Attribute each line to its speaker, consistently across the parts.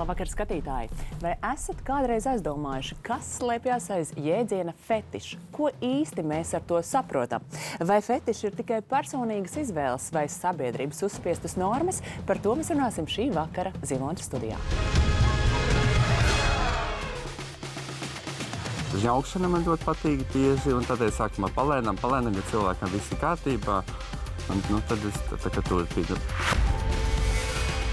Speaker 1: Labvakar, skatītāji! Vai esat kādreiz aizdomājuši, kas slēpjas aiz jēdziena fetišs? Ko īsti mēs ar to saprotam? Vai fetiši ir tikai personīgas izvēles vai sabiedrības uzspiestas normas? Par to mēs runāsim šī vakara Ziloņa studijā.
Speaker 2: Žņaukšana man ļoti patīk bieži, un tādēļ sākumā palēnām, ja cilvēkam viss ir kārtībā, un tad es tā kā turpinu.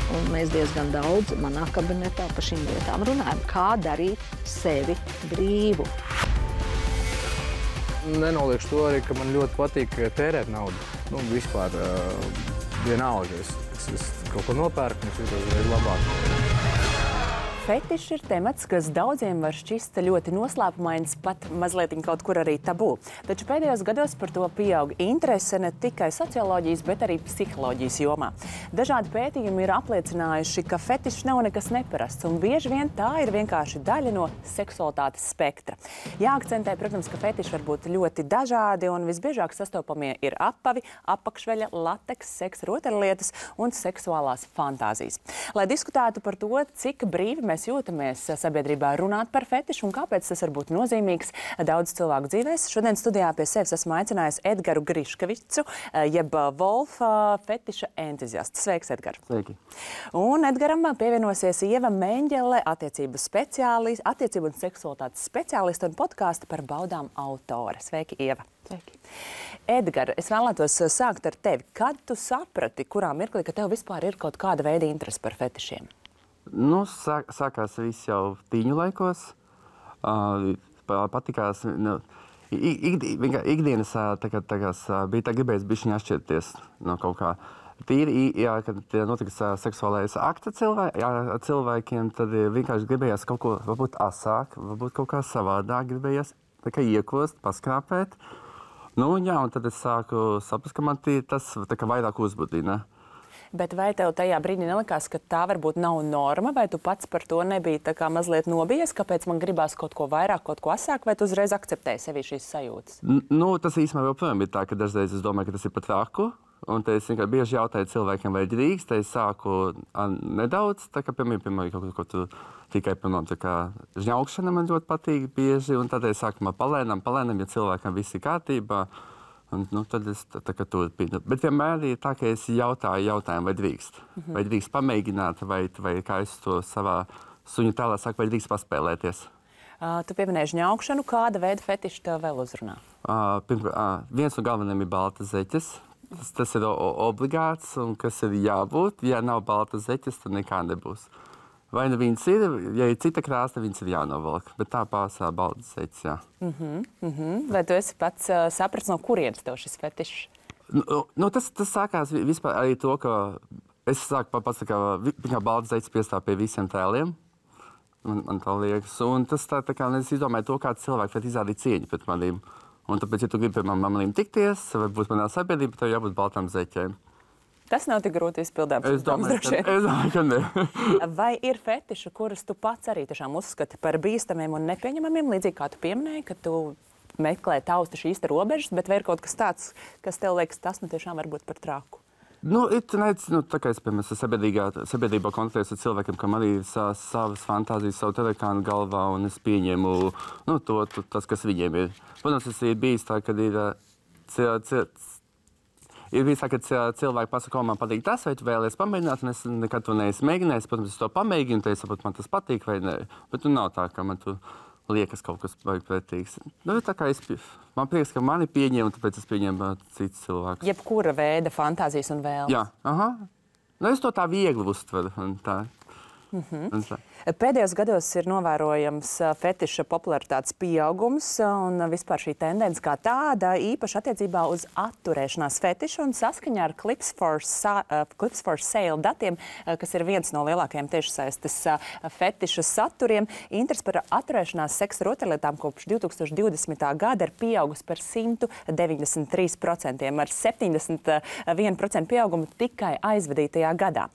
Speaker 3: Un mēs diezgan daudz manā kabinetā par šīm lietām runājam, kā darīt sevi brīvu.
Speaker 4: Nenoliekšu to arī, ka man ļoti patīk tērēt naudu. Vispār vienalga, es kaut ko nopērku, un es jūtos uzreiz labāk.
Speaker 1: Fetišs ir temats, kas daudziem var šķist ļoti noslēpumains, pat mazliet kaut kur arī tabū. Taču pēdējos gados par to pieaug interese ne tikai socioloģijas, bet arī psiholoģijas jomā. Dažādi pētījumi ir apliecinājuši, ka fetišs nav nekas neparasts, un bieži vien tā ir vienkārši daļa no seksualitātes spektra. Jāakcentē, protams, ka fetiši var būt ļoti dažādi, un visbiežāk sastopamie ir apavi, apakšveļa, lateks, seksa rotaļlietas un seksuālās fantāzijas. Lai diskutētu par to, cik brīvi mēs jūtamies sabiedrībā runāt par fetišu un kāpēc tas var būt nozīmīgs daudz cilvēku dzīvēs. Šodien studijā pie sevis esmu aicinājusi Edgaru Griškevicu, jeb Wolfa fetiša entuziastu. Sveiks, Edgar!
Speaker 2: Sveiki!
Speaker 1: Un Edgaram pievienosies Ieva Meņģele, attiecību un seksualitātes speciāliste un podkāsta par baudām autore. Sveiki, Ieva!
Speaker 3: Sveiki.
Speaker 1: Edgar, es vēlētos sākt ar tevi. Kad tu saprati, kurā mirklī, ka tev vispār ir kaut kāda veida interese par fetišiem?
Speaker 2: Sākās viss jau tīņu laikos. Patikās, ikdienas bija tā gribējis bišķiņ atšķirties no kaut kā. Tīri, kad notika seksuālais akts cilvēkiem, tad vienkārši gribējās kaut ko varbūt asāk, varbūt kaut kā savādāk gribējās iekost, paskrāpēt. Un tad es sāku saprast, ka man tas vairāk uzbudina.
Speaker 1: Bet vai tev tajā brīdī nelikās, ka tā varbūt nav norma, vai tu pats par to nebija tā kā mazliet nobijies, kāpēc man gribās kaut ko vairāk, kaut ko asāk, vai tu uzreiz akceptēji sevī šīs sajūtas?
Speaker 2: Tas īstenībā joprojām ir tā, ka dažreiz es domāju, ka tas ir pat traku, un te es vienkārši bieži jautāju cilvēkiem, vai drīkst, te es sāku nedaudz, tā kā piemēram, kaut ko tu tikai žņaukšana man ļoti patīk bieži, un tad es sākumā palēnām, ja cilvēkam viss ir kārtībā. Un, tad es tā kā turpinu. Bet vienmēr ir tā, ka es jautāju jautājumu, vai drīkst. Vai drīkst pamēģināt, vai kā es to savā suņu tēlā saku, vai drīkst paspēlēties.
Speaker 1: Tu pieminēji žņaukšanu. Kāda veida fetiši tev vēl uzrunā?
Speaker 2: Viens no galvenajiem ir baltas zeķes. Tas ir obligāts, un kas ir jābūt. Ja nav baltas zeķes, tad nekā nebūs. Vai nu viņas ir, ja ir cita krāsa, viņas ir jānovelk. Bet tā pārsvarā baltas zeķes, jā.
Speaker 1: Vai tu esi pats sapratis, no kurienes tev šis fetišs?
Speaker 2: Tas sākās vispār arī to, ka es sāku pats kā baltas zeķes piestāv pie visiem tēliem. Man tā liekas. Un tas tā kā es izdomāju to, kāds cilvēks var izrādīt cieņu pret manīm. Un tāpēc, ja tu gribi pie manīm tikties, vai būt manā sabiedrībā, tev jābūt baltām zeķēm.
Speaker 1: Tas nav tik grūti izpildāms.
Speaker 2: Es domāju, ka ne.
Speaker 1: Vai ir fetiši, kurus tu pats arī tiešām uzskati par bīstamiem un nepieņemamiem, līdzīgi kā tu pieminēji, ka tu meklē tausti šīs robežas, bet vai ir kaut kas tāds, kas tev liekas, tas tiešām var būt par traku?
Speaker 2: Tā kā es, piemēram, sabiedrībā kontaktējos ar cilvēkiem, kam arī ir savas fantāzijas, savu telekānu galvā, un es pieņemu tas, kas viņiem ir. Protams, tas ir bijis tā, kad ir bijis tā, ka cilvēki pasaka, man patīk tas, vai tu vēlies pamēģināt, un es nekad to neesmu mēģinājis. Protams, es to pamēģinu, tad es saprotu, man tas patīk vai nē. Bet nav tā, ka man tu liekas kaut kas pretīgs. Tā kā man prieks, ka mani pieņem, un tāpēc es pieņemu citus cilvēkus.
Speaker 1: Jebkura veida fantāzijas un vēlmes.
Speaker 2: Jā, es to tā viegli uztveru.
Speaker 1: Pēdējos gados ir novērojams fetiša popularitātes pieaugums un vispār šī tendence kā tāda, īpaši attiecībā uz atturēšanās fetišu, un saskaņā ar Clips for Sale datiem, kas ir viens no lielākajiem tiešsaistes fetiša saturiem, interesi par atturēšanās seksa rotaļlietām kopš 2020. gada ir pieaugusi par 193%, ar 71% pieaugumu tikai aizvadītajā gadā.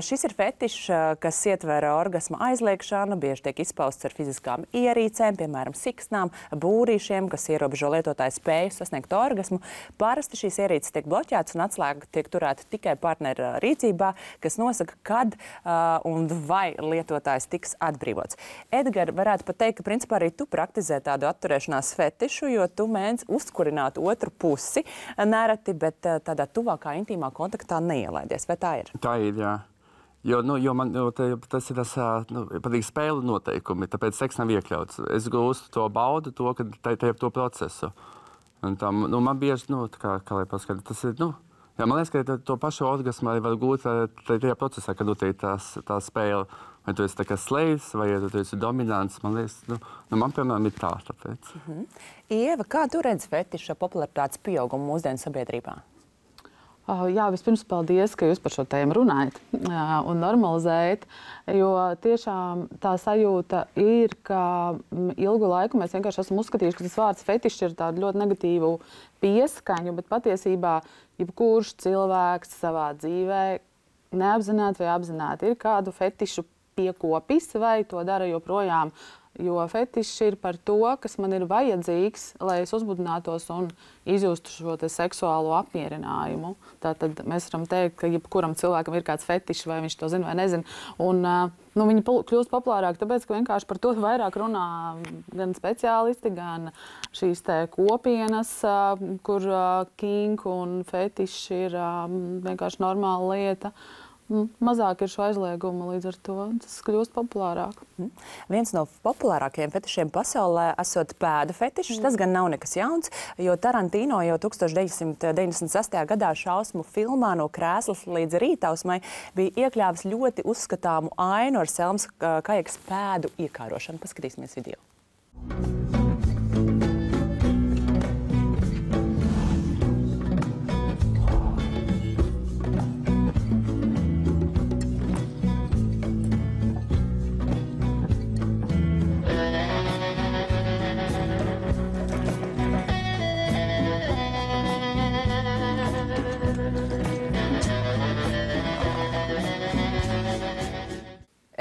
Speaker 1: Šis ir fetišs, kas ietver orgasma aizliekšanu, bieži tiek izpausts ar fiziskām ierīcēm, piemēram, siksnām, būrīšiem, kas ierobežo lietotāju spēju sasniegt orgasmu. Parasti šīs ierīces tiek bloķētas un atslēga tiek turēta tikai partnera rīcībā, kas nosaka, kad un vai lietotājs tiks atbrīvots. Edgar, varētu pat teikt, ka principā arī tu praktizē tādu atturēšanās fetišu, jo tu mēdz uzkurināt otru pusi nereti, bet tādā tuvākā intīmā kontaktā neielaidies. Vai tā ir?
Speaker 2: Tā ir, jā. Jo tas ir tas patīk spēļu noteikumi, tāpēc seks nav iekļauts. Es gūstu to baudu, ka tajā to procesu. Un tā, man bieži, kā lai paskatīt, tas ir, jā, man liekas, ka to pašu orgasmu arī var gūt tajā procesā, kad ir tā spēle. Vai tu esi tā kā slēdz, vai tu esi dominants, man liekas, man piemēram ir tā, tāpēc.
Speaker 1: Ieva, kā tu redzi fetiša popularitātes pieaugumu mūsdienu sabiedrībā?
Speaker 5: Jā, vispirms paldies, ka jūs par šo tēmu runājat un normalizējat, jo tiešām tā sajūta ir, ka ilgu laiku mēs vienkārši esam uzskatījuši, ka tas vārds fetišs ir tādu ļoti negatīvu pieskaņu, bet patiesībā jebkurš cilvēks savā dzīvē neapzināti vai apzināti ir kādu fetišu piekopis vai to dara joprojām. Jo fetišs ir par to, kas man ir vajadzīgs, lai es uzbudinātos un izjustu šo seksuālo apmierinājumu. Tātad mēs varam teikt, ka jebkuram cilvēkam ir kāds fetišs, vai viņš to zina vai nezina. Un, viņi kļūst populārāki, tāpēc, ka vienkārši par to vairāk runā gan speciālisti, gan šīs kopienas, kur kink un fetišs ir vienkārši normāla lieta. Mazāk ir šo aizliegumu, līdz ar to tas kļūst populārāk.
Speaker 1: Viens no populārākajiem fetišiem pasaulē esot pēdu fetišs. Tas gan nav nekas jauns, jo Tarantino jau 1996. gadā šausmu filmā No krēslas līdz rītausmai bija iekļāvis ļoti uzskatāmu ainu ar Selmas Kajakas pēdu iekārošanu. Paskatīsimies video.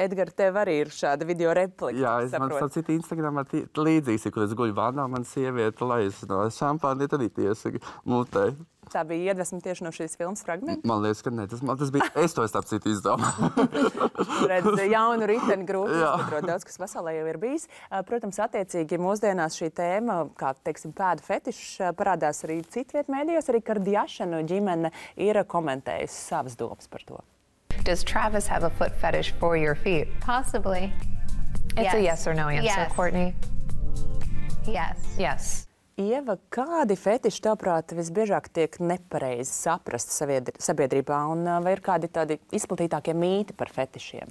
Speaker 1: Edgar, tev arī ir šāda video replika.
Speaker 2: Jā, man starp citu Instagramā līdzīgs, kur es guļu vannā, man sieviete laiz no šampāni, tad arī tiesa mutē.
Speaker 1: Tā bija iedvesma tieši no šīs filmas fragmenta?
Speaker 2: Man liekas, ka ne. Tas bija, es to starp citu izdomāju.
Speaker 1: Redz, jaunu riteni grūti izskatrot daudz, kas pasaulē jau ir bijis. Protams, attiecīgi mūsdienās šī tēma, kā, teiksim, pēdu fetišs, parādās arī citviet mēdījos, arī Kardashianu ģimene ir komentējusi savas domas par to.
Speaker 6: Does Travis have a foot fetish for your feet?
Speaker 7: Possibly.
Speaker 6: It's a yes or no answer,
Speaker 7: Yes.
Speaker 6: Courtney.
Speaker 7: Yes.
Speaker 6: Yes.
Speaker 1: Ieva, kādi fetiši, tavuprāt, visbiežāk tiek nepareizi saprasti sabiedrībā, un vai ir kādi tādi izplatītākie mīti par fetišiem?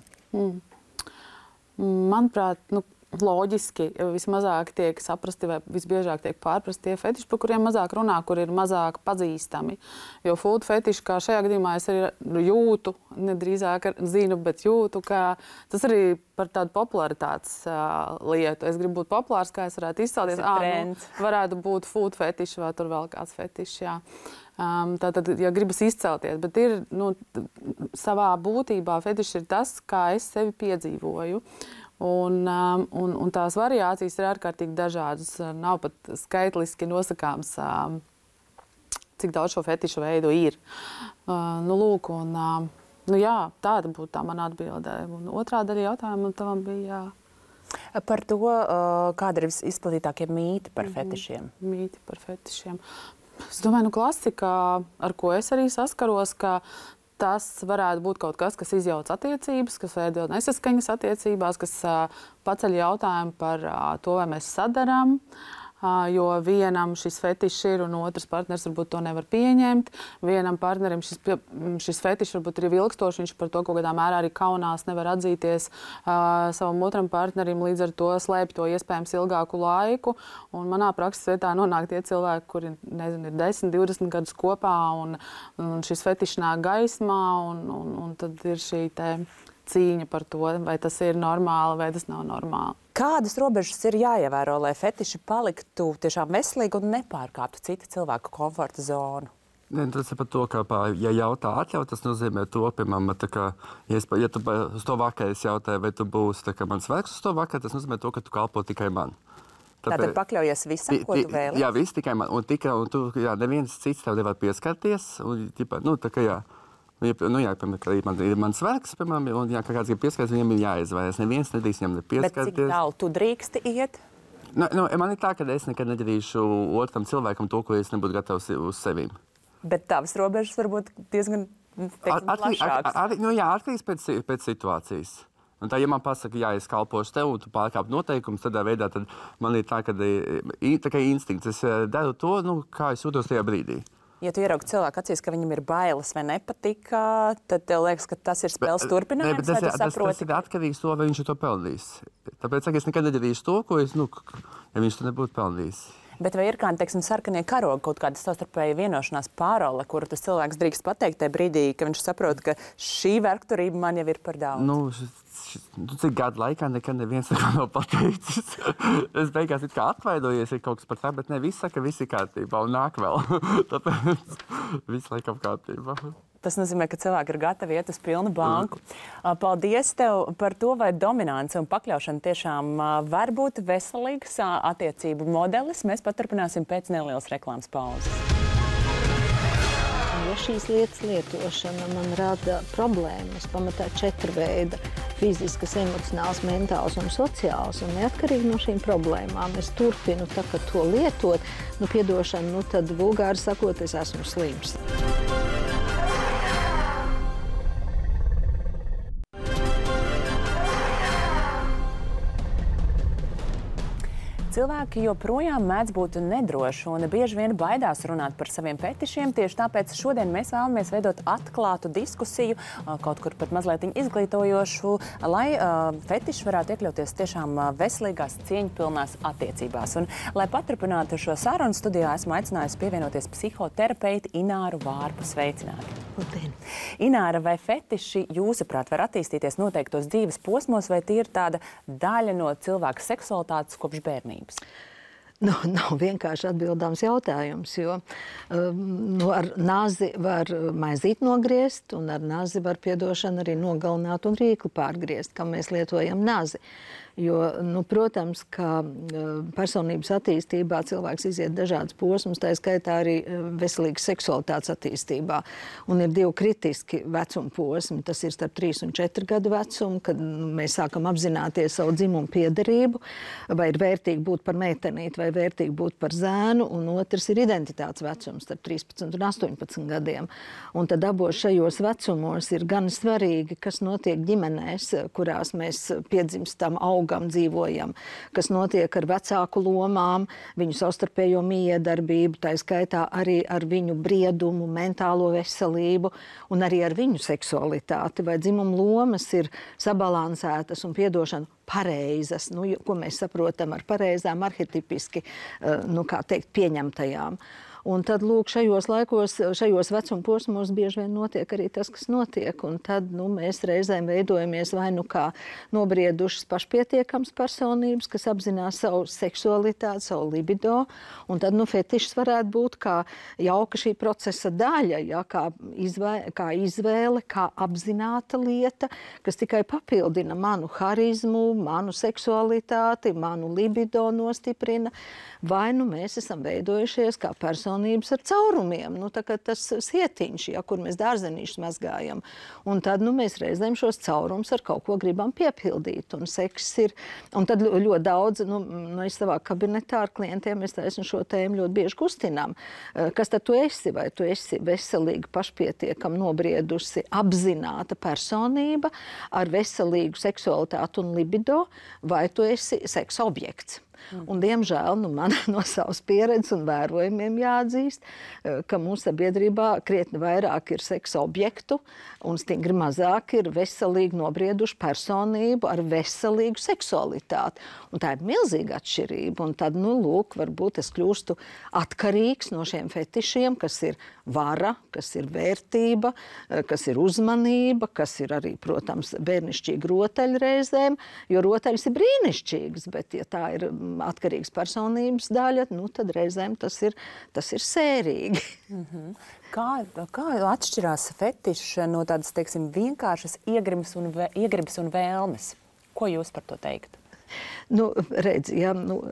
Speaker 5: Manuprāt, loģiski vismazāk tiek saprasti vai visbiežāk tiek pārprasti tie fetiši, par kuriem mazāk runā, kur ir mazāk pazīstami. Jo food fetiši, kā šajā gadījumā es arī jūtu, nedrīzāk zinu, bet jūtu, ka tas arī par tādu popularitātes lietu. Es gribu būt populārs, kā es varētu izcelties. Varētu būt food fetiši vai tur vēl kāds fetišs, jā. Tātad, ja gribas izcelties, bet ir, savā būtībā fetišs ir tas, kā es sevi piedzīvoju. Un tās variācijas ir ārkārtīgi dažādas. Nav pat skaitliski nosakāms, cik daudz šo fetišu veidu ir. Lūk, jā, tāda būtu tā mana atbilde. Un otrā daļa jautājuma tavam bija...
Speaker 1: Par to, kāda ir izplatītākie mīti par fetišiem?
Speaker 5: Mīti par fetišiem. Es domāju, klasika, ar ko es arī saskaros, ka tas varētu būt kaut kas, kas izjauc attiecības, kas veido nesaskaņas attiecībās, kas paceļ jautājumu par to, vai mēs sadarām, jo vienam šis fetišs ir un otrs partners varbūt to nevar pieņemt. Vienam partnerim šis fetišs varbūt ir ilgstošs, viņš par to kaut kādā mērā arī kaunās, nevar atzīties savam otram partnerim, līdz ar to slēpj to iespējams ilgāku laiku. Un manā prakses vietā nonāk tie cilvēki, kuri, nezinu, ir 10, 20 gadus kopā un šis fetišs nāk gaismā un tad ir šī cīņa par to, vai tas ir normāli vai tas nav normāli.
Speaker 1: Kādas robežas ir jāievēro, lai fetiši paliktu tiešām veselīgi un nepārkāptu citu cilvēku komforta zonu?
Speaker 2: Tas ir par to, ka, ja jautā atļaut, tas nozīmē to, piemēram, ja tu uz to vakaru jautāji, vai tu būsi mans vergs uz to vakaru, tas nozīmē to, ka tu kalpo tikai man.
Speaker 1: Tātad pakļaujies visam, ko tu vēlies?
Speaker 2: Jā, viss tikai man. Un tu, neviens cits tev nevar pieskarties. Un, piemēram, ir mans vergs, piemēram, un kā kāds grib pieskarties, viņam ir jāizvēlas. Neviens nedrīkst viņam nepieskarties.
Speaker 1: Bet cik tālu tu drīksti iet?
Speaker 2: Man ir tā, ka es nekad nedarīšu otram cilvēkam to, ko es nebūtu gatavs uz sevīm.
Speaker 1: Bet tavas robežas varbūt diezgan plašākas.
Speaker 2: Atkarīgs pēc situācijas. Un tā, ja man pasaka, jā, es kalpošu tev, un tu pārkāp noteikumus, tādā veidā, tad man ir tā, ka tā instinkts. Es daru to, kā es jūtos tajā brīdī.
Speaker 1: Ja tu ieraugi cilvēku acīs, ka viņam ir bailes vai nepatika, tad tev liekas, ka tas ir spēles turpinājums, vai tu saproti?
Speaker 2: Tas ir atkarīgs to, vai viņš to pelnīs. Tāpēc es nekad nedarīšu to, ko es, ja viņš to nebūtu pelnījis.
Speaker 1: Bet vai ir kādi, teiksim, sarkanie karogi, kaut kāda savstarpēja vienošanās pārole, kuru tas cilvēks drīkst pateikt tajā brīdī, ka viņš saprot, ka šī vergturība man jau ir par daudz?
Speaker 2: Cik gadu laikā nekad neviens neko nav pateicis. Es beigās it kā atvainojies, ir kaut kas par tā, bet ne viss saka, viss ir kārtībā un nāk vēl. Tāpēc viss laikam kārtībā.
Speaker 1: Tas nozīmē, ka cilvēki ir gatavi iet uz pilnu banku. Paldies tev par to, vai dominance un pakļaušana tiešām var būt veselīgs attiecību modelis. Mēs paturpināsim pēc nelielas reklāmas pauzes.
Speaker 3: Ja šīs lietas lietošana man rada problēmas, pamatā 4 veida – fiziskas, emocionāls, mentāls un sociāls. Un neatkarīgi no šīm problēmām es turpinu to lietot. Piedošana, tad vulgāri sakot, es esmu slims.
Speaker 1: Cilvēki joprojām mēdz būt nedroši un bieži vien baidās runāt par saviem fetišiem. Tieši tāpēc šodien mēs vēlamies veidot atklātu diskusiju, kaut kur pat mazliet izglītojošu, lai fetiši varētu iekļauties tiešām veselīgās, cieņpilnās attiecībās. Un, lai paturpinātu šo sarunu, studijā esmu aicinājusi pievienoties psihoterapeiti Ināru Vārpu. Sveicināti!
Speaker 3: Labdien!
Speaker 1: Ināra, vai fetiši jūsuprāt var attīstīties noteiktos dzīves posmos, vai tie ir tāda daļa no cilvēka seksualitātes kopš bērnības?
Speaker 3: Nav vienkārši atbildāms jautājums, jo ar nazi var maizīt nogriezt, un ar nazi var, piedošana, arī nogalināt un rīkli pārgriezt, kam mēs lietojam nazi. Jo, protams, ka personības attīstībā cilvēks iziet dažādas posmus, tā skaitā arī veselīgas seksualitātes attīstībā. Un ir 2 kritiski vecuma posmi. Tas ir starp 3 un 4 gadu vecumu, kad mēs sākam apzināties savu dzimumu piederību, vai ir vērtīgi būt par meitenīti, vai vērtīgi būt par zēnu, un otrs ir identitātes vecums starp 13 un 18 gadiem. Un tad abos šajos vecumos ir gan svarīgi, kas notiek ģimenēs, kurās mēs piedzimstam, augam, dzīvojam, kas notiek ar vecāku lomām, viņu savstarpējo miedarbību, tā skaitā arī ar viņu briedumu, mentālo veselību un arī ar viņu seksualitāti. Vai dzimuma lomas ir sabalansētas un, piedošana, pareizas, ko mēs saprotam ar pareizām, arhetipiski, pieņemtajām. Un tad, lūk, šajos vecuma posmos bieži vien notiek arī tas, kas notiek. Un tad mēs reizēm veidojamies vai kā nobriedušas pašpietiekams personības, kas apzinās savu seksualitāti, savu libido. Un tad fetišs varētu būt kā jauka šī procesa daļa, ja, kā izvēle, kā apzināta lieta, kas tikai papildina manu harizmu, manu seksualitāti, manu libido nostiprina. Vai mēs esam veidojušies kā personības ar caurumiem, tā kā tas sietiņš, ja, kur mēs dārzenīšus mazgājam. Un tad mēs reizēm šos caurumus ar kaut ko gribam piepildīt. Un seks ir, un tad ļoti daudz, es savā kabinetā ar klientiem, es taisnu šo tēmu ļoti bieži kustinām. Kas tad tu esi? Vai tu esi veselīga, pašpietiekama, nobriedusi, apzināta personība ar veselīgu seksualitāti un libido, vai tu esi seksa objekts? Un, diemžēl, man no savas pieredzes un vērojumiem jāatzīst, ka mūsu sabiedrībā krietni vairāk ir seksa objektu un stingri mazāk ir veselīgi nobrieduši personību ar veselīgu seksualitāti. Un tā ir milzīga atšķirība. Un tad, lūk, varbūt es kļūstu atkarīgs no šiem fetišiem, kas ir vara, kas ir vērtība, kas ir uzmanība, kas ir arī, protams, bērnišķīgi rotaļi reizēm, jo rotaļas ir brīnišķīgas, bet ja tā ir atkarīgas personības daļa, tad reizēm tas ir sērīgi.
Speaker 1: Kā atšķirās fetiši no tādas, teiksim, vienkāršas iegribas un vēlmes? Ko jūs par to teiktu?
Speaker 3: Redz,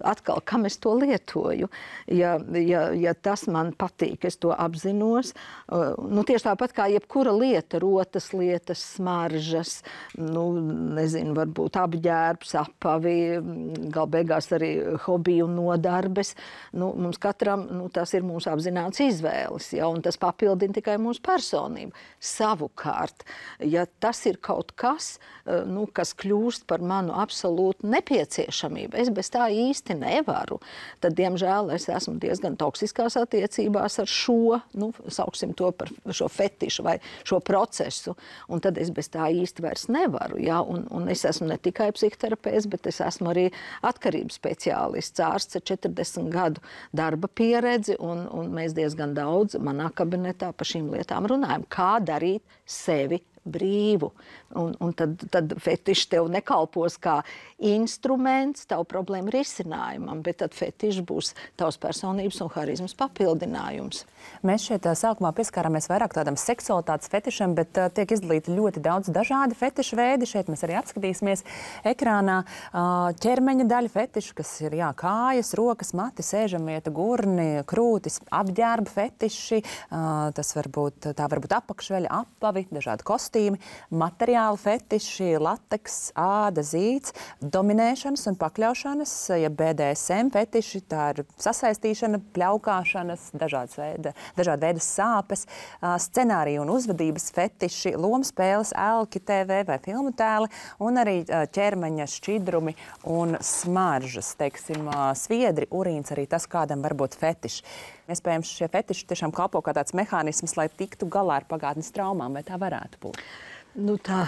Speaker 3: atkal, kam es to lietoju? Ja tas man patīk, es to apzinos. Tieši tāpat kā jebkura lieta, rotas lietas, smaržas, nezinu, varbūt apģērbs, apavi, gal beigās arī hobiju un nodarbes. Mums katram tas ir mūsu apzināts izvēles, un tas papildina tikai mūsu personību. Savukārt, ja tas ir kaut kas, kas kļūst par manu absolūtu nepieciešamību, es bez tā īsti nevaru, tad, diemžēl, es esmu diezgan toksiskās attiecībās ar šo, sauksim to par šo fetišu vai šo procesu, un tad es bez tā īsti vairs nevaru, un es esmu ne tikai psihoterapeits, bet es esmu arī atkarības speciālists, ārsts ar 40 gadu darba pieredzi, un mēs diezgan daudz manā kabinetā par šīm lietām runājam, kā darīt sevi brīvu. Un tad fetiši tev nekalpos kā instruments tavu problēmu risinājumam, bet tad fetiši būs tavs personības un harizmas papildinājums.
Speaker 1: Mēs šeit sākumā pieskārāmies vairāk tādam seksualitātes fetišam, bet tiek izdalīti ļoti daudz dažādi fetišu veidi. Šeit mēs arī apskatīsimies ekrānā ķermeņa daļu fetišu, kas ir kājas, rokas, mati, sēžamvieta, gurni, krūtis, apģērba fetiši, tā var būt apakšveļa, apavi, dažādi kostīmi, materiāli fetiši, lateks, āda, zīds, dominēšanas un pakļaušanas, ja BDSM fetiši, tā ir sasaistīšana, pļaukāšanas, dažādi veidi sāpes, scenāriju un uzvedības fetiši, lomspēles, elki, TV vai filmu tēli, un arī ķermeņa šķidrumi un smaržas, teiksim, sviedri, urīns, arī tas kādam var būt fetiši. Iespējams, šie fetiši tiešām kalpo kā tāds mehānisms, lai tiktu galā ar pagātnes traumām, vai tā varētu būt?
Speaker 3: Tā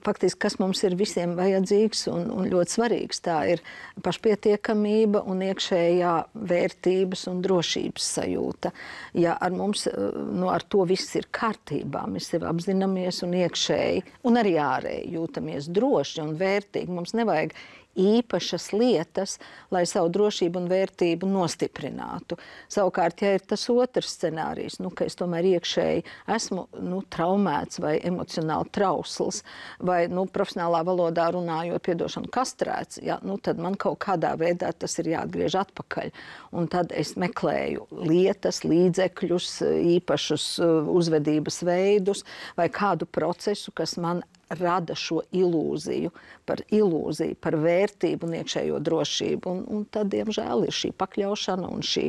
Speaker 3: faktiski, kas mums ir visiem vajadzīgs un ļoti svarīgs, tā ir pašpietiekamība un iekšējā vērtības un drošības sajūta. Ja ar mums, ar to viss ir kārtībā, mēs sevi apzināmies un iekšēji un arī ārēji jūtamies droši un vērtīgi, mums nevajag īpašas lietas, lai savu drošību un vērtību nostiprinātu. Savukārt, ja ir tas otrs scenārijs, ka es tomēr iekšēji esmu traumēts vai emocionāli trausls, vai profesionālā valodā runājot, kastrēts, tad man kaut kādā veidā tas ir jāatgriež atpakaļ. Un tad es meklēju lietas, līdzekļus, īpašus uzvedības veidus vai kādu procesu, kas man rada šo ilūziju par vērtību un iekšējo drošību. Un tad, diemžēl, ir šī pakļaušana un šī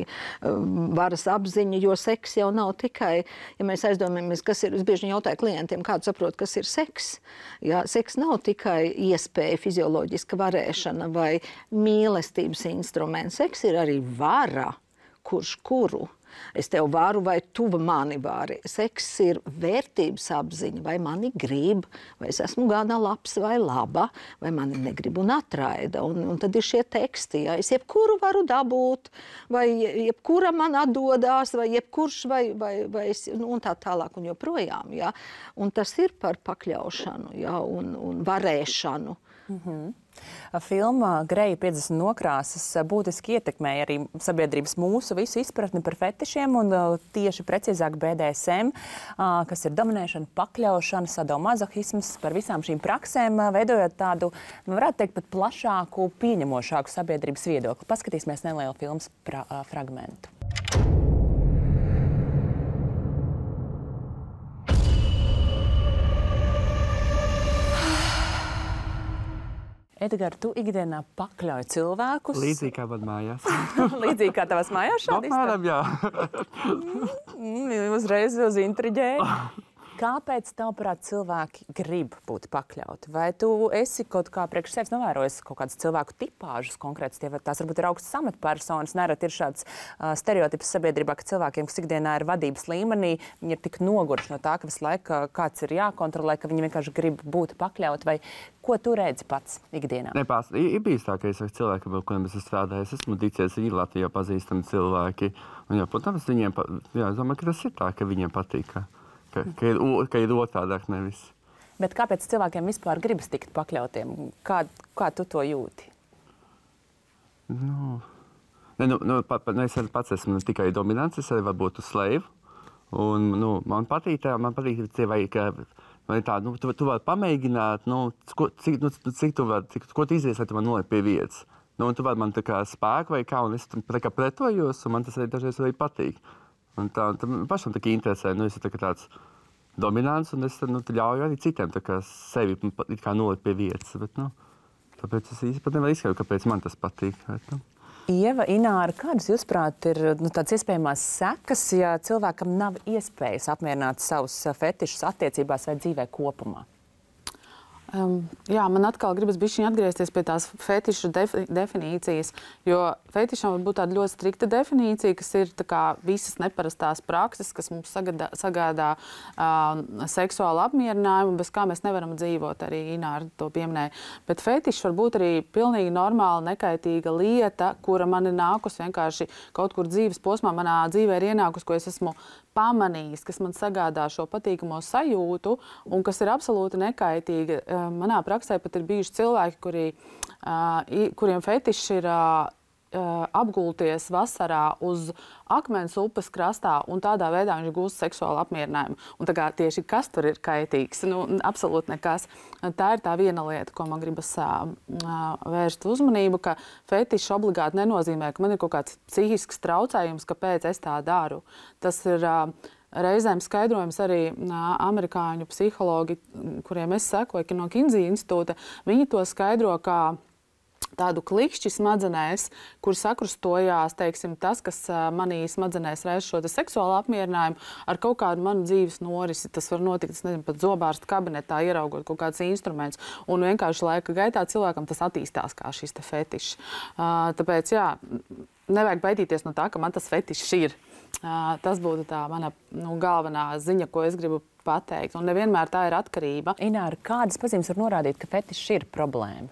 Speaker 3: varas apziņa, jo seks jau nav tikai, ja mēs aizdomājamies, kas ir, es bieži jautāju klientiem, kādu saprot, kas ir seks. Seks nav tikai iespēja, fizioloģiska varēšana vai mīlestības instruments. Seks ir arī vara, kuru. Es tev varu vai tu mani vari. Seks ir vērtības apziņa, vai mani grib, vai es esmu gana labs vai laba, vai mani negrib un atraida. Un tad ir šie teksti, es jebkuru varu dabūt, vai jebkura man atdodās, vai jebkurš, vai es, un tā tālāk un joprojām. Un tas ir par pakļaušanu, un varēšanu.
Speaker 1: Filma Greja 50 nokrāsas būtiski ietekmēja arī sabiedrības mūsu visu izpratni par fetišiem un tieši precīzāk BDSM, kas ir dominēšana, pakļaušana, sadomazohisms, par visām šīm praksēm, veidojot tādu, varētu teikt, pat plašāku, pieņemošāku sabiedrības viedokli. Paskatīsimies nelielu filmas fragmentu. Edgar, tu ikdienā pakļauj cilvēkus?
Speaker 2: Līdzīgi kā man mājās.
Speaker 1: Līdzīgi kā tavas mājās šādi?
Speaker 2: Apmēram, jā.
Speaker 1: Uzreiz uz intriģēju. Kāpēc, tavuprāt, cilvēki grib būt pakļauti? Vai tu esi kaut kā priekš sevis novērojis kaut kādas cilvēku tipāžas konkrētas? Tās varbūt ir augstas amatpersonas, nereti ir šāds stereotips sabiedrībā, ka cilvēkiem, kas ikdienā ir vadības līmenī, viņi ir tik noguruši no tā, ka visu laiku kāds ir jākontrolē, ka viņi vienkārši grib būt pakļauti. Vai ko tu redzi pats ikdienā?
Speaker 2: Ir bijis tā, ka es saku cilvēkiem, ar kuriem es strādāju, es esmu ticies, viņi Latvijā pazīstami cilvēki. Un, protams, es domāju, ka tas ir tā, ka viņiem patīk. Ka ir otādāk nevis.
Speaker 1: Bet kāpēc cilvēkiem vispār gribas tikt pakļautiem? Kā tu to jūti?
Speaker 2: Es pats esmu tikai dominants, es arī varu būt uz slēvu. Un, man patīk ka man ir tā, tu vari pamēģināt, ko tu izvies, lai tu man noliek pie vietas. Un tu vari man tā kā spēku vai kā, un es tā kā pretojos, un man tas arī dažreiz arī patīk. Un tā pašam tā kā interesē, es tā kā tāds dominants, un es ļauju arī citiem tā kā sevi it kā nolikt pie vietas. Bet, tāpēc es īsti pat nevaru izskaidrot, kāpēc man tas patīk. Bet,
Speaker 1: Ieva, Ināra, kādas jūsuprāt ir tādas iespējamās sekas, ja cilvēkam nav iespējas apmierināt savus fetišus attiecībās vai dzīvē kopumā?
Speaker 5: Jā, man atkal gribas bišķiņ atgriezties pie tās fetišu definīcijas, jo fetišam var būt tāda ļoti strikta definīcija, kas ir tā kā visas neparastās prakses, kas mums sagādā seksuālu apmierinājumu, bez kā mēs nevaram dzīvot, arī Ināra to pieminēja. Bet fetišs var būt arī pilnīgi normāla, nekaitīga lieta, kura man ir nākus vienkārši kaut kur dzīves posmā, manā dzīvē ir ienākus, ko es esmu pamanījis, kas man sagādā šo patīkamo sajūtu un kas ir absolūti nekaitīga. Manā praksē pat ir bijuši cilvēki, kuriem fetišs ir apgulties vasarā uz akmens upes krastā, un tādā veidā viņš gūst seksuālu apmierinājumu. Un tā kā tieši kas tur ir kaitīgs? Absolūti nekas. Tā ir tā viena lieta, ko man gribas vērst uzmanību, ka fetišs obligāti nenozīmē, ka man ir kaut kāds psihisks traucējums, kāpēc es tā daru. Tas ir reizēm skaidrojums arī amerikāņu psihologi, kuriem es sekoju no Kinsey institūta. Viņi to skaidro kā tādu klikšķi smadzenēs, kur sakrustojās, teiksim, tas, kas manī smadzenēs reiz šo seksuālu apmierinājumu ar kaut kādu manu dzīves norisi. Tas var notikt, es nezinu, pat zobārsta kabinetā, ieraugot kaut kādus instrumentus. Un vienkārši laika gaitā cilvēkam tas attīstās kā šis te fetišs. Tāpēc, jā, nevajag baidīties no tā, ka man tas fetišs ir. Tas būtu tā mana galvenā ziņa, ko es gribu pateikt. Un nevienmēr tā ir atkarība.
Speaker 1: Ināra, kādas pazīmes var norādīt, ka fetišs ir problēma?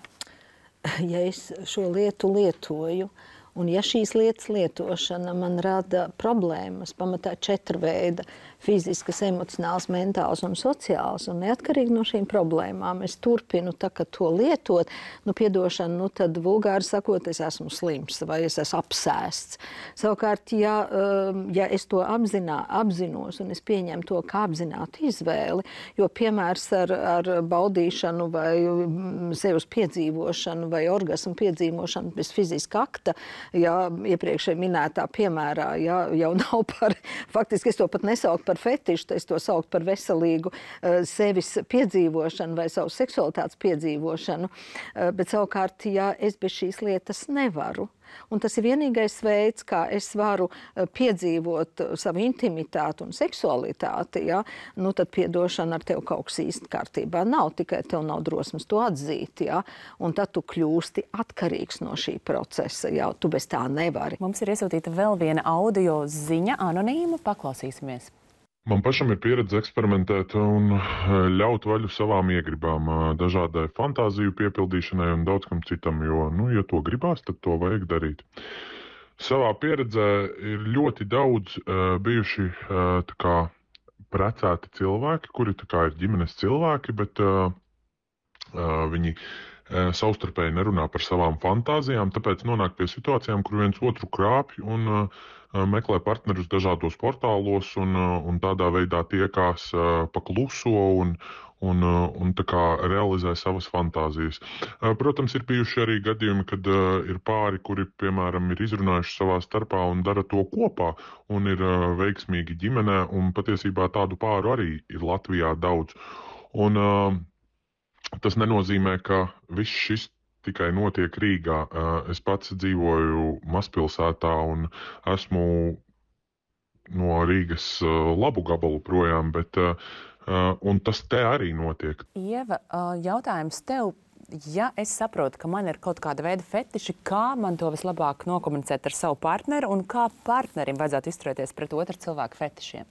Speaker 3: Ja es šo lietu lietoju, un ja šīs lietas lietošana man rada problēmas, pamatā 4 veida - fiziskas, emocionāls, mentāls un sociāls, un neatkarīgi no šīm problēmām es turpinu to lietot, piedošana, tad vulgāri sakot, es esmu slims vai es esmu apsēsts. Savukārt, ja es to apzinos un es pieņemu to kā apzinātu izvēli, jo piemērs ar baudīšanu vai sevis piedzīvošanu vai orgasmu piedzīvošanu bez fiziska akta, iepriekšēji minētā piemērā, jau nav par, faktiski es to pat nesauku par fetišu, es to saucu par veselīgu sevis piedzīvošanu vai savu seksualitātes piedzīvošanu, bet savukārt, ja es bez šīs lietas nevaru, un tas ir vienīgais veids, kā es varu piedzīvot savu intimitāti un seksualitāti, tad piedošana ar tevi kaut kas īsti kārtībā nav, tikai tev nav drosmes to atzīt, un tad tu kļūsti atkarīgs no šī procesa, tu bez tā nevari.
Speaker 1: Mums ir iesūtīta vēl viena audio ziņa, anonīma, paklausīsimies.
Speaker 8: Man pašam ir pieredze eksperimentēt un ļaut vaļu savām iegribām, dažādai fantāziju piepildīšanai un daudz kam citam, jo, ja to gribās, tad to vajag darīt. Savā pieredzē ir ļoti daudz bijuši precēti cilvēki, kuri ir ģimenes cilvēki, bet viņi savstarpēji nerunā par savām fantāzijām, tāpēc nonāk pie situācijām, kur viens otru krāpj un meklē partnerus dažādos portālos un tādā veidā tiekās pa kluso un tā kā realizē savas fantāzijas. Protams, ir bijuši arī gadījumi, kad ir pāri, kuri, piemēram, ir izrunājuši savā starpā un dara to kopā un ir veiksmīgi ģimenē, un patiesībā tādu pāru arī ir Latvijā daudz. Un tas nenozīmē, ka viss šis tikai notiek Rīgā. Es pats dzīvoju mazpilsētā un esmu no Rīgas labu gabalu projām, bet un tas te arī notiek.
Speaker 1: Ieva, jautājums tev. Ja es saprotu, ka man ir kaut kāda veida fetiši, kā man to vislabāk nokomunicēt ar savu partneri un kā partnerim vajadzētu izturēties pret otru cilvēku fetišiem?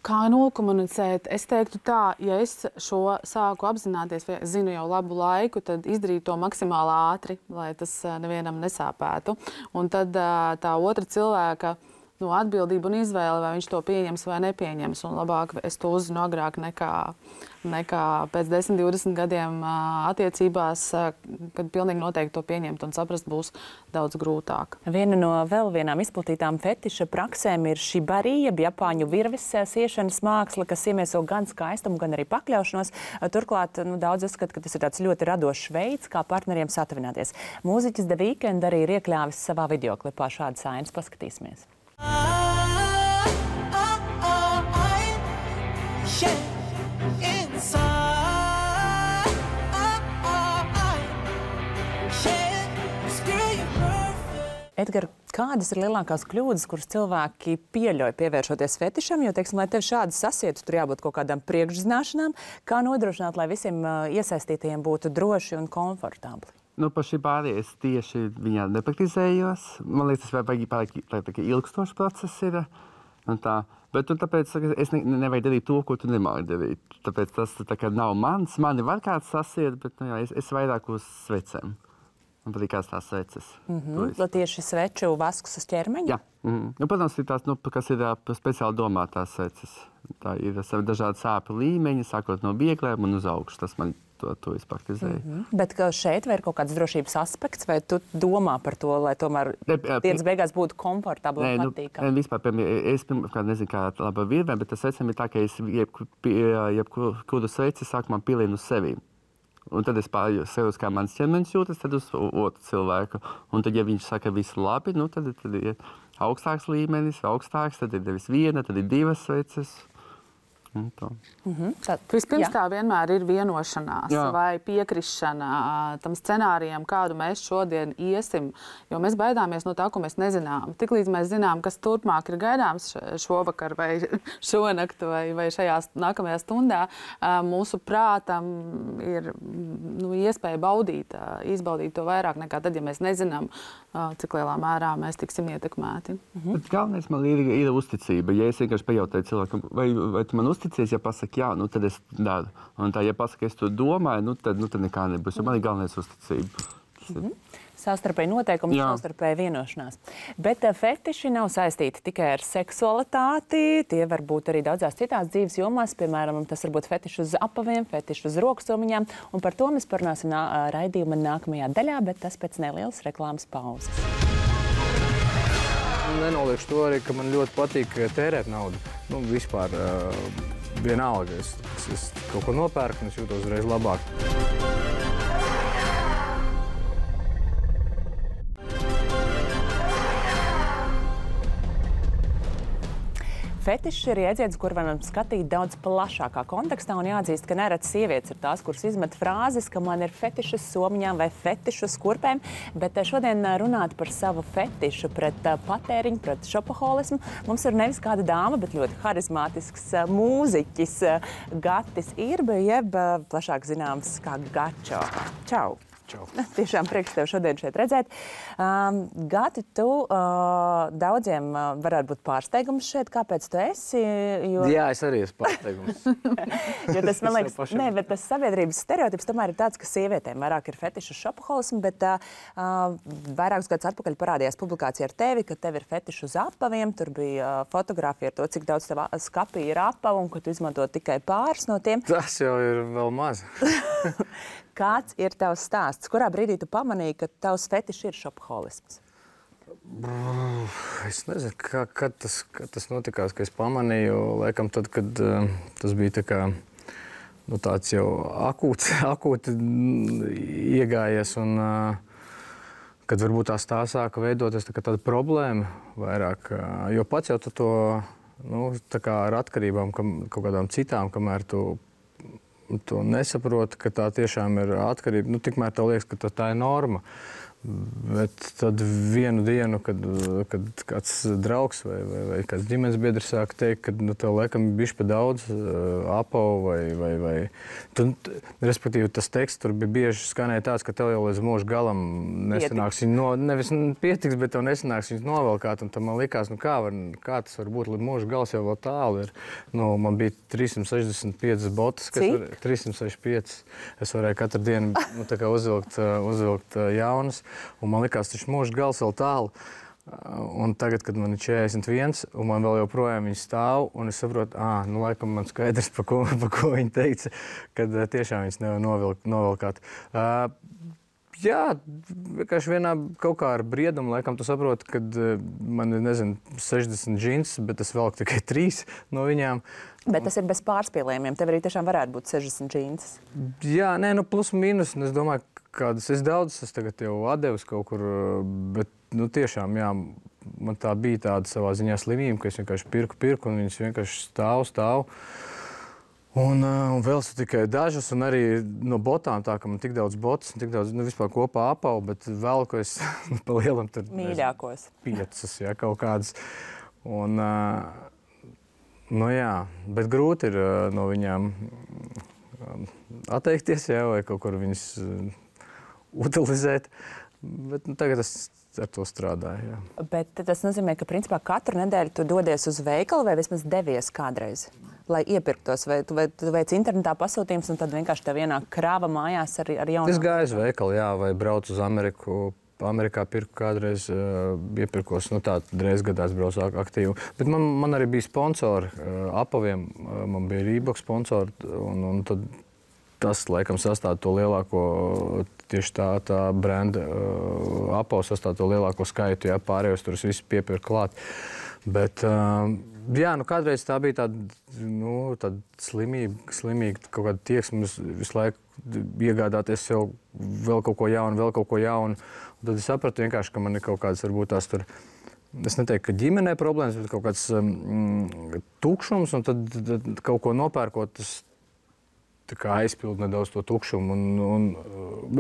Speaker 5: Kā nokomunicēt? Es teiktu tā, ja es šo sāku apzināties, vai zinu jau labu laiku, tad izdarīt to maksimāli ātri, lai tas nevienam nesāpētu. Un tad tā otra cilvēka atbildību un izvēli, vai viņš to pieņems vai nepieņems. Un labāk es to uzzinu agrāk nekā pēc 10, 20 gadiem attiecībās, kad pilnīgi noteikti to pieņemt un saprast būs daudz grūtāk.
Speaker 1: Viena no vēl vienām izplatītām fetiša praksēm ir shibari, jeb japāņu virves siešanas māksla, kas iemieso gan skaistumu, gan arī pakļaušanos. Turklāt daudz uzskata, ka tas ir tāds ļoti radošs veids, kā partneriem satuvināties. Mūziķis The Weeknd arī ir iekļāvis savā videoklipā šādas ainas. Paskatīsimies. Edgar, kādas ir lielākās kļūdas, kuras cilvēki pieļauj pievēršoties fetišam? Jo, teiksim, lai tev šādi sasietu, tur jābūt kaut kādām priekšzināšanām. Kā nodrošināt, lai visiem iesaistītajiem būtu droši un komfortabli?
Speaker 2: Par šī bārī es tieši viņā nepraktizējos. Man liekas, tas vajag ilgstošs process ir. Bet tāpēc es nevajag darīt to, ko tu nemāki darīt. Tāpēc tas nav mans. Mani var kāds sasiet, bet es vairāk uz svecēm. Man patīkās tās sveces.
Speaker 1: Tieši sveču vasks uz ķermeņa?
Speaker 2: Jā. Protams, ir tās, kas ir speciāli domātās sveces. Tā ir dažādi sāpju līmeņi, sākot no viegliem un uz augšu. Tas man to es praktizēju.
Speaker 1: Bet šeit vai ir kaut kāds drošības aspekts, vai tu domā par to, lai tomēr dienas beigās būtu komfortabli un patīkami?
Speaker 2: Vispār, es pirmkārt nezinu, kā laba virvē, bet tas svecam ir tā, ka es jebkuru sveci sākumā pilinu uz sevi. Un tad es pārējos, kā mans ķermenis jūtas, tad uz otru cilvēku. Un tad, ja viņš saka, viss labi, tad ir augstāks līmenis, augstāks, tad ir nevis viena, tad ir divas sveces.
Speaker 5: Vispirms tā vienmēr ir vienošanās vai piekrišana tam scenārijam, kādu mēs šodien iesim. Jo mēs baidāmies no tā, ko mēs nezinām. Tiklīdz mēs zinām, kas turpmāk ir gaidāms šovakar vai šonakt vai šajā nākamajā stundā, mūsu prātam ir iespēja izbaudīt to vairāk nekā tad, ja mēs nezinām, cik lielā mērā mēs tiksim ietekmēti.
Speaker 2: Galvenais man ir uzticība. Ja es vienkārši pajautāju cilvēkam, vai tu man uzticies, ja pasaka jā, tad es daru. Un tā, ja pasaka, es to domāju, tad nekā nebūs. Jo man ir galvenais uzticība.
Speaker 1: Savstarpēji noteikumi, savstarpēji vienošanās. Bet fetiši nav saistīti tikai ar seksualitāti. Tie var būt arī daudzās citās dzīves jomās. Piemēram, tas var būt fetiši uz apaviem, fetiši uz roksomiņām. Un par to mēs parunāsim raidījuma nākamajā daļā, bet tas pēc nelielas reklāmas pauzes.
Speaker 4: Nenoliekšu to arī, ka man ļoti patīk tērēt naudu. Vispār vienalga. Es kaut ko nopērku un es jūtos uzreiz labāk.
Speaker 1: Fetišs ir jēdziens, kur varam skatīt daudz plašākā kontekstā, un jāatzīst, ka nereti sievietes ir tās, kuras izmet frāzes, ka man ir fetišas somiņām vai fetišas kurpēm, bet šodien runāt par savu fetišu pret patēriņu, pret šopaholismu. Mums ir nevis kāda dāma, bet ļoti harizmātisks mūziķis Gatis Irbe, jeb plašāk zināms kā Gačo. Čau! Tiešām prieks tev šodien šeit redzēt. Gati, tu daudziem varētu būt pārsteigums šeit. Kāpēc tu esi?
Speaker 4: Jā, es arī esmu pārsteigums.
Speaker 1: Jo tas, man liekas, bet tas sabiedrības stereotips tomēr ir tāds, ka sievietēm vairāk ir fetišu šopaholismu, bet vairākus gadus atpakaļ parādījās publikācija ar tevi, ka tev ir fetišu uz apaviem. Tur bija fotogrāfija ar to, cik daudz tev skapī ir apavu un ka tu izmanto tikai pāris no tiem.
Speaker 4: Tas jau ir vēl maz.
Speaker 1: Kāds ir tavs stāsts? Kurā brīdī tu pamanīji, ka tavs fetišs ir šopaholisms?
Speaker 4: Es nezinu, kad tas notikās, ka es pamanīju. Laikam tad, kad tas bija tā kā, tāds jau akūti iegājies un kad varbūt tā sāka veidoties tāda problēma vairāk. Jo pats jau tu to tā kā ar atkarībām kaut kādām citām, kamēr tu nesaproti, ka tā tiešām ir atkarība. Tikmēr tev liekas, ka tā ir norma. Bet tad vienu dienu, kad kāds draugs vai kāds ģimenes biedrs sāk teikt, ka tev laikam bišķi pa daudz apavu vai respektīvi tas teksts tur bija bieži skanēja tāds, ka tev jau līdz mūža galam nesanāks viņu nevis pietiks, bet tev nesanāks viņus novelkāt. Un tad man likās, kā tas var būt, līdz mūža gals jau vēl tālu ir. Man bija 365 botas, 365. Es varēju katru dienu uzvilkt jaunas. Un man likās, taču mūža gals vēl tālu. Un tagad, kad man ir 41, un man vēl joprojām viņa stāv, un es saprotu, nu, laikam man skaidrs, pa ko viņa teica, kad tiešām viņas nevar novilkāt. Jā, vienkārši vienā kaut kā ar briedumu, laikam tu saproti, kad man ir, 60 džins, bet es velku tikai 3 no viņām.
Speaker 1: Bet tas ir bez pārspīlējumiem. Tev arī tiešām varētu būt 60 džins.
Speaker 4: Jā, plus mīnus. Es domāju, kādas es daudzas tagad jau atdevis kaut kur, bet tiešām, jā, man tā bija tāda savā ziņā slimība, ka es vienkārši pirku, un viņas vienkārši stāv. Un vēl tikai dažas, un arī no botām tā, ka man tik daudz botas, tik daudz, vispār kopā apau, bet vēl, ko es pa lielam tur...
Speaker 1: Mīļākos.
Speaker 4: 5, jā, kaut kādas. Un, jā, bet grūti ir no viņām atteikties, jā, vai kaut kur viņas utilizēt. Bet tagad es ar to strādāju. Jā.
Speaker 1: Bet tas nozīmē, ka principā katru nedēļu tu dodies uz veikalu vai vismaz devies kādreiz, lai iepirktos? Vai tu veic internetā pasūtījums un tad vienkārši tev ienāk krāva mājās ar jaunu?
Speaker 4: Es gāju uz veikalu, jā, vai braucu uz Ameriku. Amerikā pirku kādreiz, iepirkos, tā reiz gadā es braucu aktīvi. Bet man arī bija sponsori apaviem, man bija Reebok sponsori, un tad tas, laikam, sastāv to lielāko, tieši tā brenda apavs sastāv to lielāko skaitu, jā, pārējos tur es visu piepirku klāt. Bet, jā, kādreiz tā bija tāda slimīga kaut kāda tieksme visu laiku iegādāties sev vēl kaut ko jaunu. Un tad es sapratu vienkārši, ka man ir kaut kādas, varbūt tās tur, es neteiktu, ka ģimenē problēmas, bet kaut kāds tukšums, un tad kaut ko nopērkot, tas tā kā aizpildu nedaudz to tukšumu. Un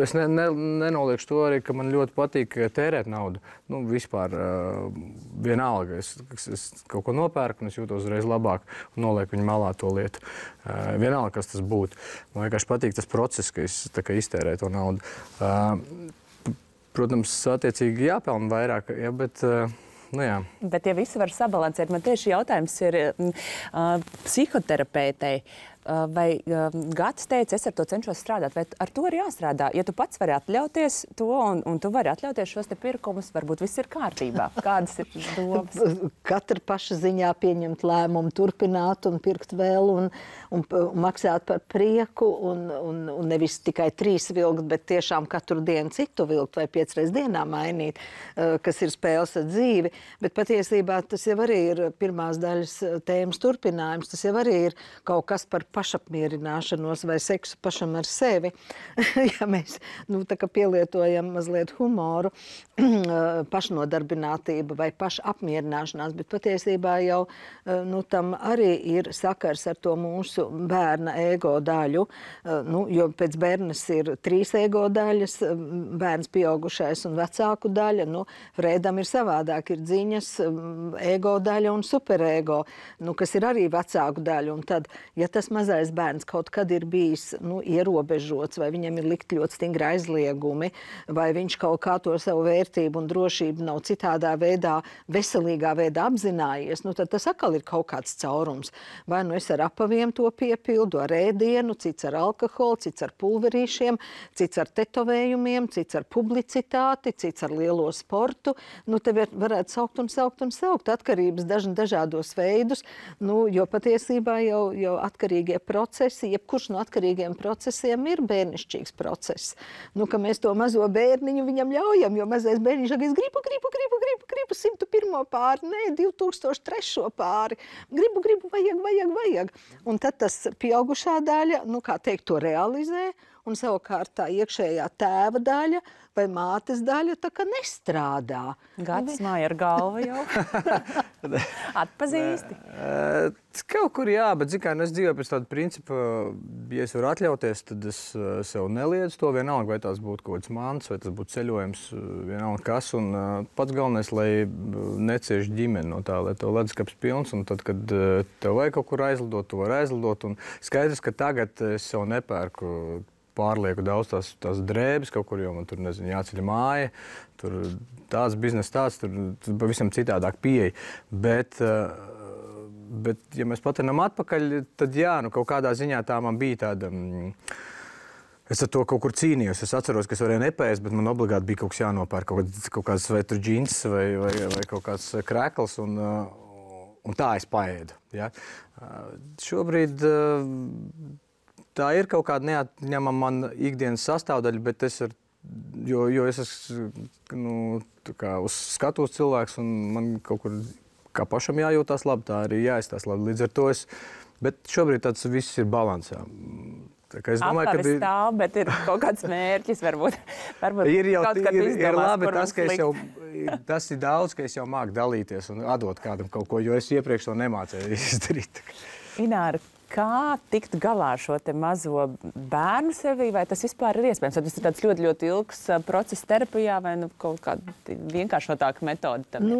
Speaker 4: es nenoliekšu to arī, ka man ļoti patīk tērēt naudu. Vispār vienalga. Es kaut ko nopērku, un es jūtos uzreiz labāk un nolieku viņu malā to lietu. Vienalga, kas tas būtu. Man vienkārši patīk tas process, ka es tā kā iztērēju to naudu. Protams, attiecīgi jāpelna vairāk, ja, bet... jā.
Speaker 1: Bet ja visi var sabalansēt, man tieši jautājums ir psihoterapeitei. Vai Gatis teica, es ar to cenšos strādāt, vai ar to ir jāstrādā? Ja tu pats vari atļauties to, un tu vari atļauties šos te pirkumus, varbūt viss ir kārtībā. Kādas ir domas?
Speaker 3: Katra paša ziņā pieņemt lēmumu, turpināt un pirkt vēl un maksāt par prieku un nevis tikai 3 vilkt, bet tiešām katru dienu citu vilkt vai 5 reizes dienā mainīt, kas ir spēles ar dzīvi. Bet patiesībā tas jau arī ir pirmās daļas tēmas turpinājums. Tas jau arī ir kaut kas par pašapmierināšanos vai seksu pašam ar sevi. Ja mēs tā kā pielietojam mazliet humoru, pašnodarbinātība vai pašapmierināšanās, bet patiesībā jau tam arī ir sakars ar to mūsu bērna ego daļu. Jo pēc bērnas ir 3 ego daļas, bērns pieaugušais un vecāku daļa. Freidam ir savādāk, ir dziņas, ego daļa un superego, kas ir arī vecāku daļa. Un tad, ja tas mazais bērns kaut kad ir bijis ierobežots, vai viņam ir likt ļoti stingri aizliegumi, vai viņš kaut kā to savu vērtību un drošību nav citādā veidā, veselīgā veidā apzinājies, tad tas atkal ir kaut kāds caurums. Vai es ar apaviem to piepildu, ar ēdienu, cits ar alkoholu, cits ar pulverīšiem, cits ar tetovējumiem, cits ar publicitāti, cits ar lielo sportu. Te varētu saukt atkarības dažādos veidus, jo patiesībā jau atkarīgie procesi, jebkurš no atkarīgiem procesiem ir bērnišķīgs process. Ka mēs to mazo bērniņu viņam ļaujam, jo mazais bērniņš saka, es gribu 101. pāri, nē, 2003. pāri. Gribu, vajag. Un tad tas pieaugušā daļa, kā teikt, to realizē, un savukārt tā iekšējā tēva daļa vai mātes daļa tā kā nestrādā.
Speaker 1: Gatis māja ar galvu jau. Atpazīsti?
Speaker 4: Kaut kur jā, bet es dzīvoju pēc tāda principa, ja es varu atļauties, tad es sev neliedzu to vienalga, vai tās būtu kaut kāds mans, vai tas būtu ceļojums, vienalga kas. Un pats galvenais, lai necieš ģimeni no tā, lai tev leduskapis pilns, un tad, kad tev vajag kaut kur aizlidot, tu vari aizlidot. Un skaidrs, ka tagad es sev nepērku pārlieku daudz tās drēbes kaut kur, jo man tur, jāceļ māja, tur tāds biznes, tur pavisam citādāk pieeja. Bet, ja mēs patinam atpakaļ, tad jā, kaut kādā ziņā tā man bija tāda Es ar to kaut kur cīnījos. Es atceros, ka es varēju nepēst, bet man obligāti bija kaut kas jānopērk, kaut kāds svetra džins vai kaut kāds krēkls, un tā es paēdu. Ja? Šobrīd tā ir kaut kāda neatņemama man ikdienas sastāvdaļa, bet jo es esmu uz skatuves cilvēks, un man kaut kur kā pašam jājūtās labi, tā arī jāizstās labi. Līdz ar to bet šobrīd tas viss ir balansā. Es domāju, ka
Speaker 1: stāv, bet ir kaut kāds mērķis, varbūt
Speaker 4: ir
Speaker 1: kaut kad izdomās,
Speaker 4: labi tas, ka tas ir daudz, ka es jau māku dalīties un atdot kādam kaut ko, jo es iepriekš to nemācēju izdarīt.
Speaker 1: Ināra, kā tikt galā ar šo te mazo bērnu sevī, vai tas vispār ir iespējams? Vai tas ir tāds ļoti, ļoti ilgs process terapijā vai kaut kāda vienkāršotāka metode tam?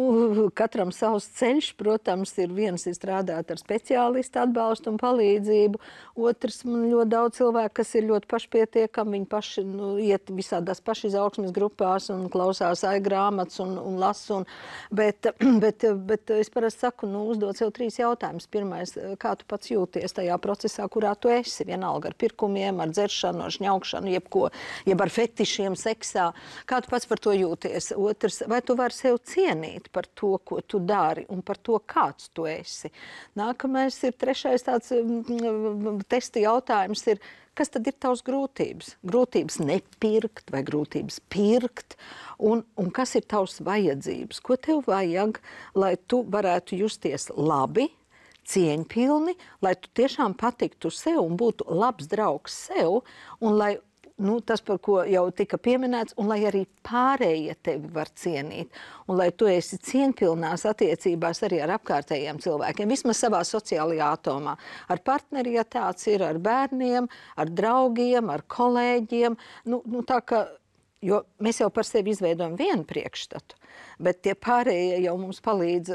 Speaker 3: Katram savs ceļš, protams, viens ir strādāt ar speciālistu atbalstu un palīdzību. Otrs, man ļoti daudz cilvēku, kas ir ļoti pašpietiekami, viņi paši iet visādās pašizaugsmes grupās un klausās grāmatas un lasu. Bet es parasti saku, uzdot sev 3 jautājumus. Pirmais, kā tu pats jūties tajā procesā, kurā tu esi, vienalga ar pirkumiem, ar dzeršanu, ar šņaukšanu, jeb ar fetišiem seksā. Kā tu pats par to jūties? Otrs, vai tu vari sev cienīt par to, ko tu dari un par to, kāds tu esi? Nākamais ir trešais tāds testa jautājums ir, kas tad ir tavs grūtības? Grūtības nepirkt vai grūtības pirkt? Un kas ir tavs vajadzības? Ko tev vajag, lai tu varētu justies labi, cieņpilni, lai tu tiešām patiktu sev un būtu labs draugs sev, un lai tas, par ko jau tika pieminēts, un lai arī pārējie tevi var cienīt, un lai tu esi cieņpilnās attiecībās arī ar apkārtējiem cilvēkiem, vismaz savā sociālajā atomā. Ar partneri, ja tāds ir, ar bērniem, ar draugiem, ar kolēģiem, tā ka, jo mēs jau par sevi izveidojam vienu priekšstatu, bet tie pārējie jau mums palīdz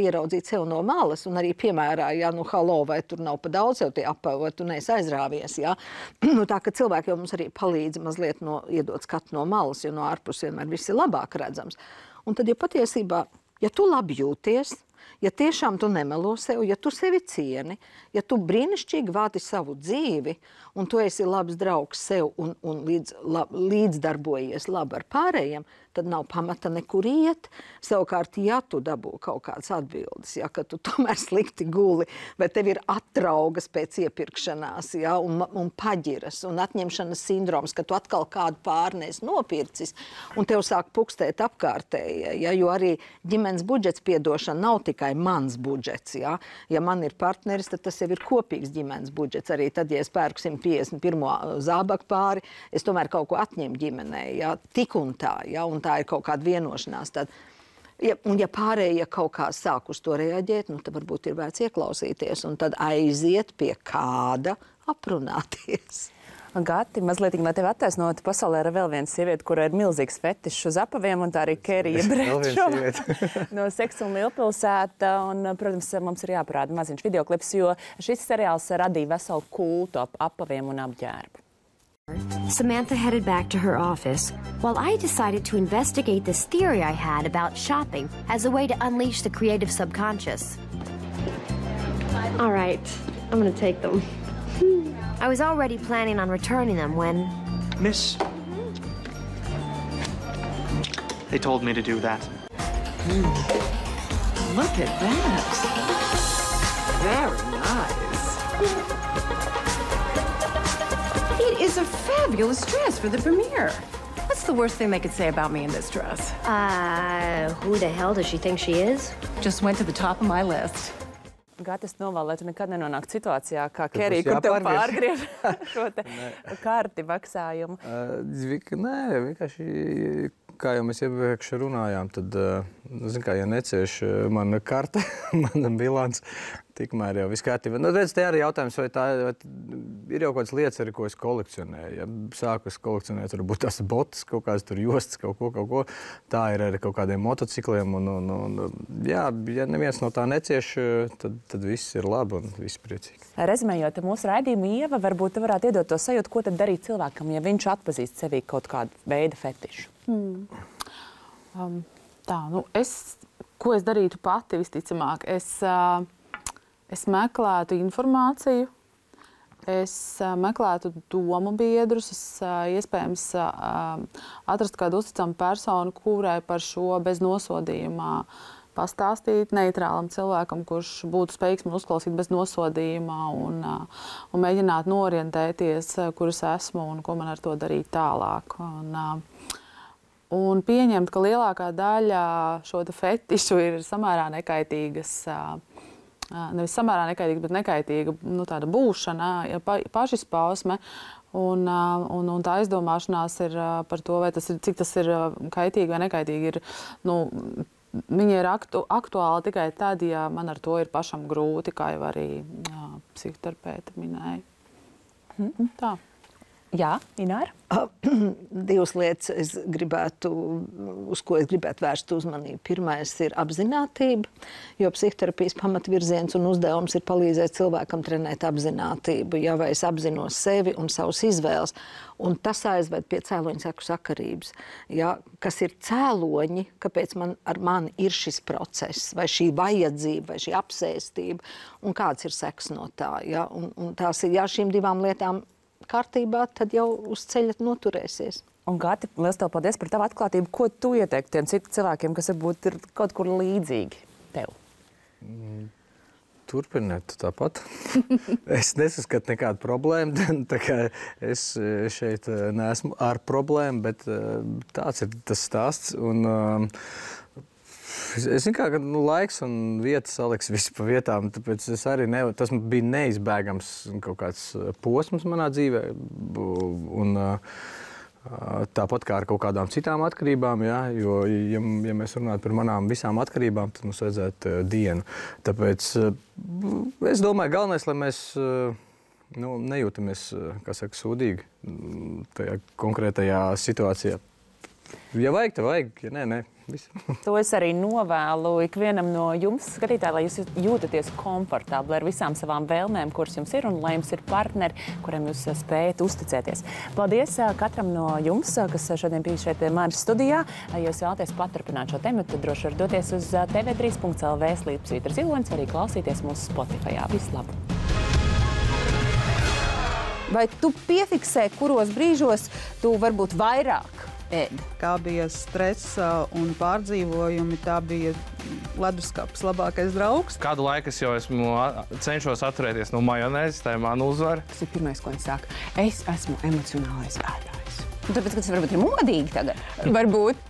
Speaker 3: ieraudzīt sev no malas un arī piemērā, halo, vai tur nav pa daudz jau tie apavi, vai tu neesi aizrāvies, jā. Tā ka cilvēki jau mums arī palīdz mazliet iedot skatu no malas, jo no ārpus vienmēr viss ir labāk redzams. Un tad, ja patiesībā, ja tu labi jūties, ja tiešām tu nemelo sev, ja tu sevi cieni, ja tu brīnišķīgi vādi savu dzīvi, un tu esi labs draugs sev un līdzdarbojies labi ar pārējiem, tad nav pamata nekur iet. Savukārt, ja tu dabū kaut kādas atbildes, ka tu tomēr slikti guli, bet tev ir atraugas pēc iepirkšanās, un paģiras, un atņemšanas sindroms, ka tu atkal kādu pārnēs nopircis, un tev sāk pukstēt apkārtējie, jo arī ģimenes budžets, piedošana, nav tikai mans budžets, Ja man ir partneris, tad tas jau ir kopīgs ģimenes budžets. Arī tad, ja es pērku 151. zābaku pāri, es tomēr kaut ko atņemu ģimenei, tik un tā, un tā ir kaut kāda vienošanās. Tad, ja pārējie kaut kā sāk uz to reaģēt, tad varbūt ir vērts ieklausīties un tad aiziet pie kāda aprunāties.
Speaker 1: Gati, mazliet, lai tevi attaisnotu, pasaulē ir vēl viena sieviete, kura ir milzīgs fetišs uz apaviem, un tā arī Kerija Brečova no Seks un Lielpilsēta. Un, protams, mums ir jāparāda maziņš videoklips, jo šis seriāls radīja veselu kultu ap apaviem un apģērbu.
Speaker 9: Samantha headed back to her office, while I decided to investigate this theory I had about shopping as a way to unleash the creative subconscious.
Speaker 10: All right, I'm going to take them.
Speaker 9: I was already planning on returning them when...
Speaker 11: Miss, they told me to do that.
Speaker 10: Look at that. Very nice. It is a fabulous dress for the premiere. What's the worst thing they could say about me in this dress?
Speaker 9: Who the hell does she think she is?
Speaker 10: Just went to the top of my list.
Speaker 1: Gati, es novēlu, lai tu nekad nenonāktu situācijā, kā Kerija, kur tev pārgriež šo te karti maksājumu.
Speaker 4: Nē, vienkārši, kā jau mēs iepriekš runājām, tad, ja necieš mana karta, mana bilants, tikmēr jau viss kārtībā. Redz, te arī jautājums, vai ir jau kādas lietas, arī, ko es kolekcionēju. Ja sāku kolekcionēt, varbūt tās botas, kaut kādas tur jostas, kaut ko. Tā ir arī kaut kādiem motocikliem. Ja neviens no tā necieš, tad viss ir labi un viss priecīgi.
Speaker 1: Rezumējot mūsu raidījumu, Ieva, varbūt tu varētu iedot to sajūtu, ko tad darīt cilvēkam, ja viņš atpazīst sevī kaut kādu veidu fetišu.
Speaker 5: Ko es darītu pati visticamāk? Es meklētu informāciju, es meklētu domu biedrus, es iespējams atrastu kādu uzticamu personu, kurai par šo bez nosodījumā pastāstīt neitrālam cilvēkam, kurš būtu spējīgs man uzklausīt bez nosodījuma un mēģināt norientēties, kur es esmu un ko man ar to darīt tālāk. Un pieņemt, ka lielākā daļa šo fetišu ir samērā nekaitīgas, nevis samērā nekaitīga, bet nekaitīga tāda būšana, pašizpausme. Un tā aizdomāšanās ir par to, vai cik tas ir kaitīgi vai nekaitīgi. Viņi ir aktuāli tikai tad, ja man ar to ir pašam grūti, kā jau arī psihoterapeiti minēja. Tā.
Speaker 1: Jā, Ināra?
Speaker 3: Divas lietas, uz ko es gribētu vērst uzmanību. Pirmais ir apzinātība, jo psihoterapijas pamatvirziens un uzdevums ir palīdzēt cilvēkam trenēt apzinātību, ja vai es apzinos sevi un savus izvēles. Un tas aizved pie cēloņu seku sakarības. Ja, kas ir cēloņi, kāpēc ar mani ir šis process, vai šī vajadzība, vai šī apsēstība, un kāds ir seks no tā. Ja? Un tās ir, ja šīm divām lietām kārtībā, tad jau uz ceļa noturēsies.
Speaker 1: Un, Gati, liels tev paldies par tavu atklātību. Ko tu ieteiktu tiem citiem cilvēkiem, kas varbūt ir kaut kur līdzīgi tev?
Speaker 4: Turpiniet tāpat. Es nesaskatu nekādu problēmu. Tā kā es šeit neesmu ar problēmu, bet tāds ir tas stāsts. Un, es zinu, ka laiks un vieta saliks visu pa vietām, tāpēc es arī tas bija neizbēgams kaut kāds posms manā dzīvē. Un tāpat kā ar kaut kādām citām atkarībām, ja, jo, ja mēs runājam par manām visām atkarībām, tad mums vajadzētu dienu. Tāpēc es domāju, galvenais, lai mēs nejūtamies, kā saka, sūdīgi tajā konkrētajā situācijā. Ja vajag, tad vajag, ja nē.
Speaker 1: To es arī novēlu ikvienam no jums, skatītāji, lai jūs jūtaties komfortabli ar visām savām vēlmēm, kuras jums ir, un lai jums ir partneri, kuriem jūs spējat uzticēties. Paldies katram no jums, kas šodien bija šeit pie manis studijā. Ja jūs vēlaties paturpināt šo tematu, tad droši var doties uz tv3.lv/Svītra Zilonis, arī klausīties mūsu Spotifyā. Visu labu! Vai tu piefiksē, kuros brīžos tu varbūt vairāk ēd?
Speaker 12: Kā bija stress un pārdzīvojumi, tā bija leduskapis labākais draugs.
Speaker 13: Kādu laiku es jau cenšos atturēties no majonēzes, tā ir mana uzvara.
Speaker 1: Tas ir pirmais, ko viņi saka. Es esmu emocionālais ēdājs. Tāpēc, ka tas varbūt ir modīgi tagad.
Speaker 6: Varbūt.